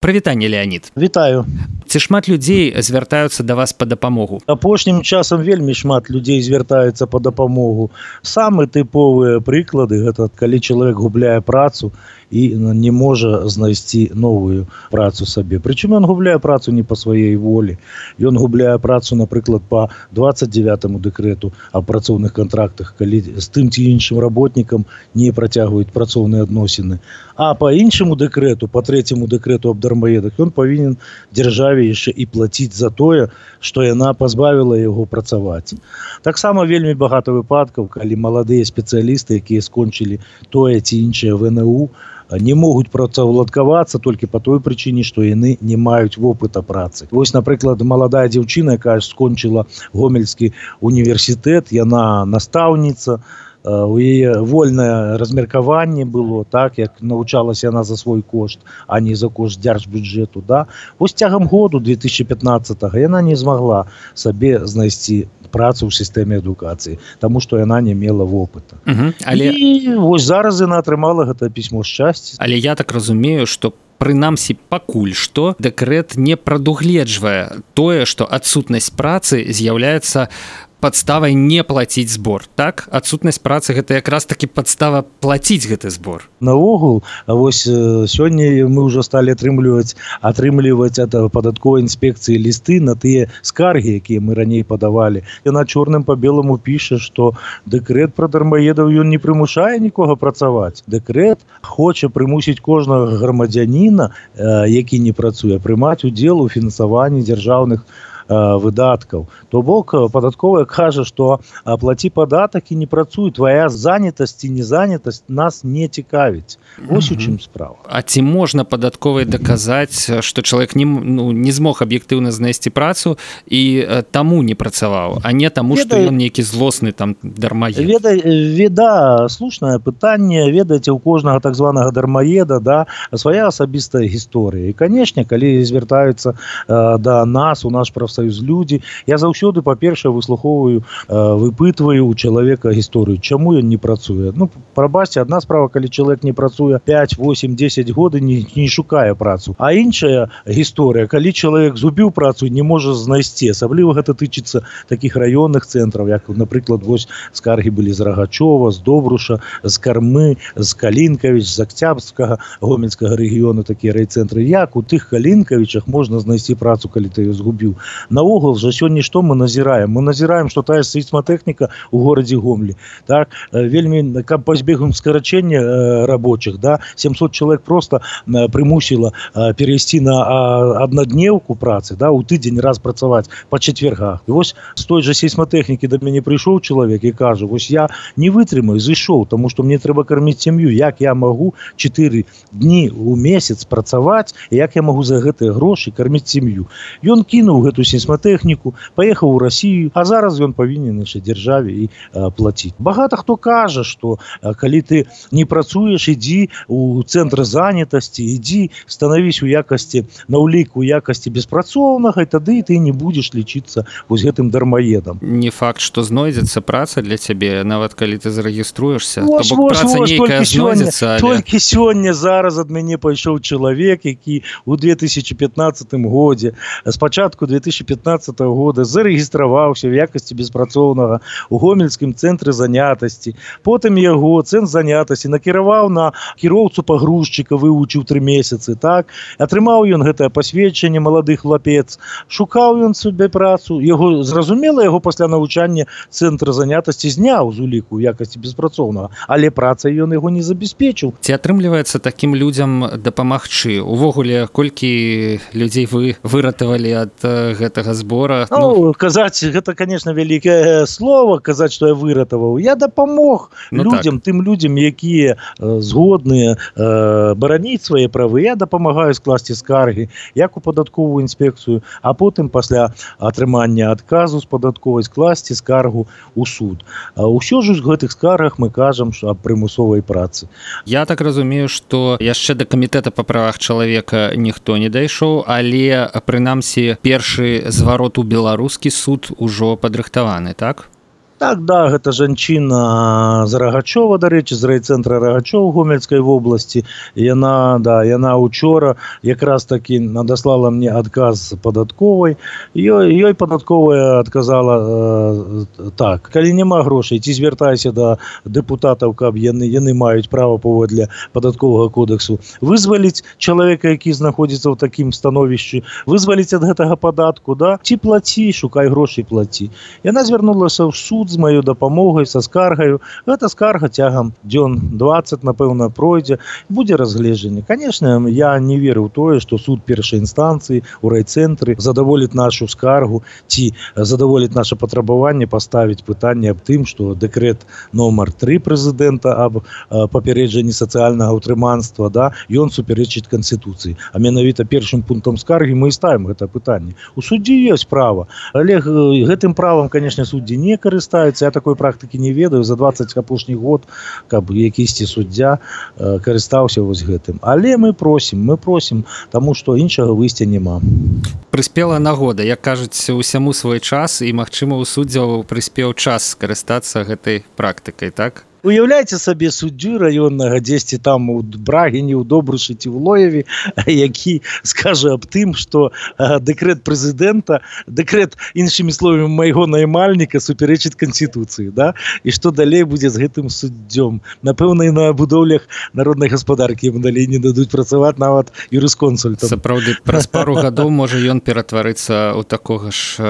Прывітанне, Леонид. Вітаю. Ці шмат людзей звяртаюцца да вас па дапамогу? Апошнім часам вельмі шмат людзей звяртаюцца па дапамогу. Самы тыповыя прыклады гэта калі чалавек губляе працу і не можа знайсці новую працу сабе. Прычым ён губляе працу не па сваёй волі. Ён губляе працу, напрыклад, па 29-му дэкрэту аб працоўных кантрактах, калі з тым ці іншым работнікам не працягваюць працоўныя адносіны. А па іншаму дэкрэту, па 3-му дэкрэту аб дармаедах, ён павінен дзяржаве яшчэ і плаціць за тое, што яна пазбавіла яго працаваць. Таксама вельмі багата выпадкаў, калі маладыя спецыялісты, якія скончылі тое ці іншае ВНУ, не могуць працаўладкавацца толькі па той прычыне, што яны не маюць вопыта працы. Вось, напрыклад, маладая дзяўчына, якая скончыла Гомельскі універсітэт, яна настаўніца, у яе вольнае размеркаванне было, так, як навучалася яна за свой кошт, а не за кошт дзяржбюджэту, да. Вось цягам году 2015-го яна не змагла сабе знайсці працу ў сістэме адукацыі, таму што яна не мела вопыта. І вось зараз яна атрымала гэта пісьмо шчасця. Але я так разумею, што прынамсі пакуль што дэкрэт не прадугледжвае тое, што адсутнасць працы з'яўляецца падставай не плаціць збор, так? Адсутнасць працы гэта якраз такі падстава плаціць гэты збор. Наогул, вось сёння мы ўжо сталі атрымліваць ад падатковай інспекцыі лісты на тыя скаргі, якія мы раней падавалі. Яна чорным па беламу піша, што дэкрэт пра дармаедаў ён не прымушае нікога працаваць. Дэкрэт хоча прымусіць кожнага грамадзяніна, які не працуе, прымаць удзел у фінансаванні дзяржаўных выдаткаў. То бок падатковая кажа, што плаці падатак і не працуй, твая занятасць ці незанятасць нас не цікавіць. Вось у чым справа. А ці можна падатковай даказаць, што чалавек не змог аб'ектыўна знайсці працу і таму не працаваў, а не таму, што ён нейкі злосны там дармаед? Да, слушнае пытанне. Ведаеце, у кожнага так званага дармаеда, да, свая асабістая гісторыя. І, канешне, калі звяртаюцца да нас, у наш прафсаюз людзі, я заўсёды, па-першае, выслухоўваю, выпытваю у чалавека гісторыю, чаму ён не працуе. Ну, прабачце, адна справа, калі чалавек не працуе 5, 8, 10 год і не шукае працу. А іншая гісторыя, калі чалавек згубіў працу і не можа знайсці. Асабліва гэта тычыцца такіх раённых цэнтраў, як, напрыклад, вось скаргі былі з Рагачова, з Добруша, з Кармы, з Калінкавіч, з Акцябрскага, Гомельскага рэгіёну, такія райцэнтры. Як у тых Калінкавічах можна знайсці працу, калі ты яе згубіў? Наогул жа сёння што мы назіраем? Мы назіраем, што тая сейсматэхніка ў горадзе Гомлі, так, вельмі, каб пазбегнуць скарачэння рабочих, да, 700 чалавек просто прымусіла перайсці на аднаднеўку працы, да, у тыдзень раз працаваць па чацвергах. І вось з той жа сейсматэхнікі да мяне прыйшоў чалавек і кажа, вось я не вытрымаю, зышоў, таму што мне трэба карміць сям'ю, як я магу 4 дні ў месяц працаваць, і як я магу за гэтыя грошы карміць сям'ю. Ён кінуў гэту сейсматэхніку, паехаў у Расію, а зараз ён павінен нашай дзяржаве і плаціць. Багата хто кажа, што калі ты не працуеш, ідзі у цэнтр занятасці, ідзі, станавісь у якасці, на ўлік у якасці беспрацоўнага, і тады ты не будзеш лічыцца вось гэтым дармаедам. Не факт, што знойдзецца праца для цябе, нават калі ты зарэгіструешся. То бок праца нейкая знойдзецца, але... Толькі сёння зараз ад мяне пайшоў чалавек, які ў 2015 годзе, спачатку 2015 года зарэгістраваўся в якасці беспрацоўнага ў Гомельскім цэнтры занятасці. Потым яго цэнтр занятасці накіраваў на кіроўцу пагрузчыка, вывучыў 3 месяцы, так? Атрымаў ён гэтае пасведчанне, малады хлапец. Шукаў ён сабе працу. Яго, зразумела, яго пасля навучання цэнтр занятасці зняў з уліку ў якасці беспрацоўнага, але працай ён яго не забяспечыў. Ці атрымліваецца такім людзям дапамагчы? Увогуле, колькі людзей вы выратавалі ад гэтага збора? Ну, казаць, гэта, конечно, вялікае слово, казаць, што я выратаваў. Я дапамог людзям, тым людзям, якія згодныя бараніць свае правы. Я дапамагаю скласці скаргі, як у падатковую інспекцыю, а потым пасля атрымання адказу з падатковай скласці скаргу ў суд. Усё ж у гэтых скаргах мы кажам аб прымусовай працы. Я так разумею, што яшчэ да камітэта па правах чалавека ніхто не дайшоў, але, прынамсі, першы зварот у беларускі суд ужо падрыхтаваны, так? Так, да, гэта жанчына з Рагачова, дарэчы, з райцэнтра Рагачоў Гомельскай вобласці. Яна учора якраз таки надаслала мне адказ падатковай. Ёй падатковая адказала так: калі няма грошай, ці звяртайся да дэпутатаў, каб яны маюць права паводле падатковага кодексу вызваліць чалавека, які знаходзіцца ў такім становішчы, вызваліць ад гэтага падатку, да? Ці плаці, шукай грошай, плаці. Яна звярнулася ў суд з маёй дапамогай, са скаргаю. Гэта скарга цягам дзён 20, напэўна, пройдзе, будзе разгледжанне. Конечно, я не веру ў тое, што суд першай інстанцыі ў райцэнтры задаволіць нашу скаргу ці задаволіць наше патрабаванне паставіць пытанне аб тым, што дэкрэт номер 3 прэзідэнта аб папярэджанні сацыяльнага ўтрыманства, да, ён супярэчыць Канстытуцыі. А менавіта першым пунктам скаргі мы і ставім гэта пытанне. У суддзі ёсць права, але гэтым правам, конечно, суддзі не карыстаюцца. Я такой практыкі не ведаю за 20 апошніх год, каб якісьці суддзя карыстаўся вось гэтым. Але мы просім, таму што іншага выйсця няма. Прыспела нагода, як кажуць, усяму свой час, і, магчыма, у суддзяў прыспеў час скарыстацца гэтай практыкай, так? Уяўляйце сабе суддзю раённага дзесьці там у Брагіне, у Добрышы ці ў Лоеве, які скажа аб тым, што дэкрэт прэзідэнта, дэкрэт, іншымі словамі, майго наймальніка супярэчыць Канстытуцыі, да? І што далей будзе з гэтым суддзём? Напэўна, і на будоўлях народнай гаспадаркі ім далей не дадуць працаваць нават юрысконсультам. Сапраўды, праз пару гадоў можа ён ператварыцца ў такога ж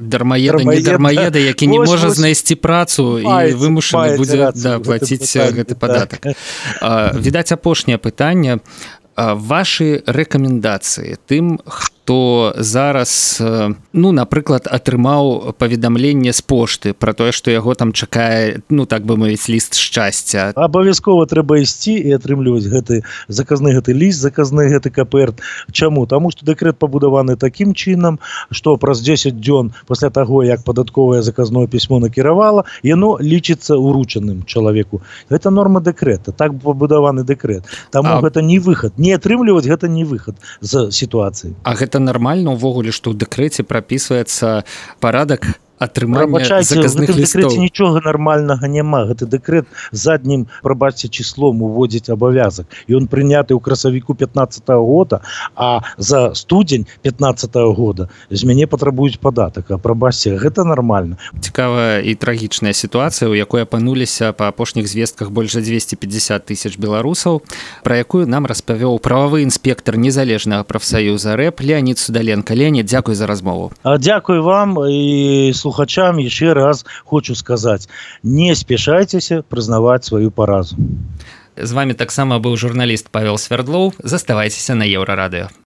дармаеда, які не можа знайсці працу і вымушаны будзе плаціць гэты падатак. Відаць, апошняе пытанне. Вашы рэкамендацыі тым, хто зараз, напрыклад, атрымаў паведамленне з пошты пра тое, што яго там чакае, так бы мовіць, ліст шчасця. Абавязкова трэба ісці і атрымліваць гэты заказны гэты ліст, заказны гэты каперт. Чаму? Таму што дэкрэт пабудаваны такім чынам, што праз 10 дзён пасля таго, як падатковае заказное пісьмо накіравала, яно лічыцца уручаным чалавеку. Гэта норма дэкрэта, так пабудаваны дэкрэт. Таму гэта не выхад. Не атрымліваць гэта не выхад з сітуацыі. А гэта нармальна ўвогуле, што ў дэкрэце прапісваецца парадак атрымання заказных лістоў? Дэкрэце нічога нармальнага няма. Гэты дэкрэт заднім, прабачце, числом уводзіць абавязак. Ён прыняты ў красавіку 15-го года, а за студзень 15-го года з мяне патрабуюць падатак. А прабачце, гэта нармальна. Цікавая і трагічная сітуацыя, у якой апынуліся па апошніх звестках больш за 250 тысяч беларусаў, пра якую нам распавёў прававы інспектар незалежнага прафсаюза РЭП Леонид Судаленко. Леонид, дзякуй за размову. Дзякуй вам і слухачам еще раз хочу сказать: не спешайтеся прызнаваць сваю паразу. З вами таксама быў журналіст Павел Свярдлоў. Заставайцеся на Еўрарадыё.